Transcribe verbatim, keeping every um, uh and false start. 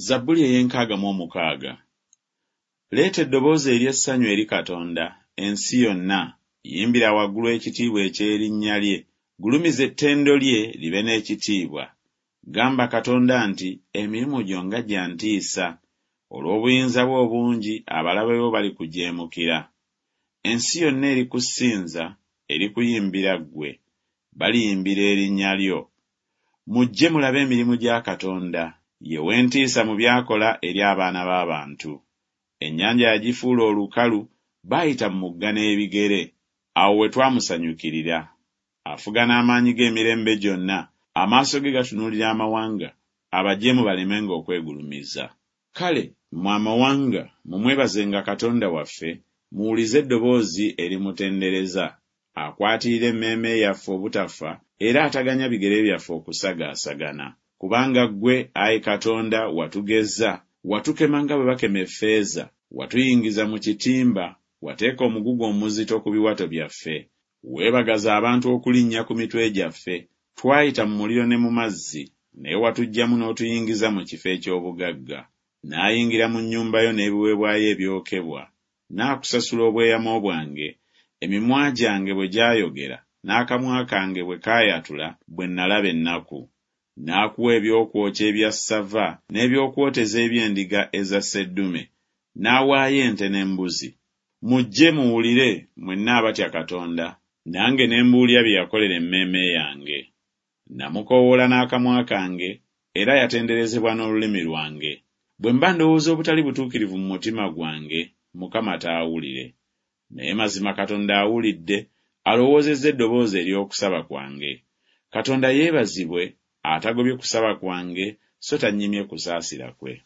Zabbuli ey'enkaaga mu omukaaga. Leeta eddoboozi ery'essanyu eri Katonda, ensi yonna, yimbira waggulu ekitiibwa eky'erinnya lye, gulumiza ettendo lye libe n'ekitiibwa. Gamba Katonda nti, Emirimu gyo nga gya ntiisa! Olw'obuyinza bwo obungi abalabe bo balikujeemukira. Ensi yonna erikusinza, erikuyimbira ggwe, baliyimbira erinnya lyo. Mujje mulabe emirimu gya Katonda, ye w'entiisa mu by'akola eri abaana b'abantu. Ennyanja yagifuula olukalu, baayita mu mugga n'ebigere. Awo we twamusanyukirira. Afuga n'amaanyi ge emirembe gyonna, amaaso ge gatunuulira amawanga, abajeemu balemenga okwegulumiza. Kale mmwe amawanga, mumwebazenga Katonda waffe, muwulize eddoboozi erimutendereza. Akwatirira emmeeme yaffe obutafa, era ataganya bigere byaffe okusagaasagana. Kubanga ggwe, ayi Katonda, watugezza, watukema nga bwe bakema effeeza, watuyingiza mu kitimba, wateeka omugugu omuzito ku biwato byaffe. Weebagaza abantu okulinnya ku mitwe gyaffe, twayita mu muliro ne mu mazzi, naye watuggyamu n'otuyingiza mu kifo eky'obugagga. Naayingira mu nnyumba yo n'ebiweebwayo ebyokebwa, naakusasula obweyamo bwange, emimwa gyange bwe gyayogera, n'akamwa kange bwe kaayatula bwe nnalaba ennaku. Naakuwa ebyokwokya ebya ssava n'ebyokwoteza eby'endiga eza sseddume, n'awaayo ente n'embuzi. Mujje muwulire mwenna abatya Katonda, nange ne mbuulira bye yakolera emmeeme yange. Namukoowoola n'akamwa kange, era yatenderezebwa n'olulimi lwange. Bwe mba ndowooza obutali butuukirivu mu mutima gwange, Mukama taawulire. Naye mazima Katonda awulidde, alowoozezza eddoboozi ery'okusaba kwange. Katonda yeebazibwe atagobye kusaba kwange, so tannyimye kusaasira kwe.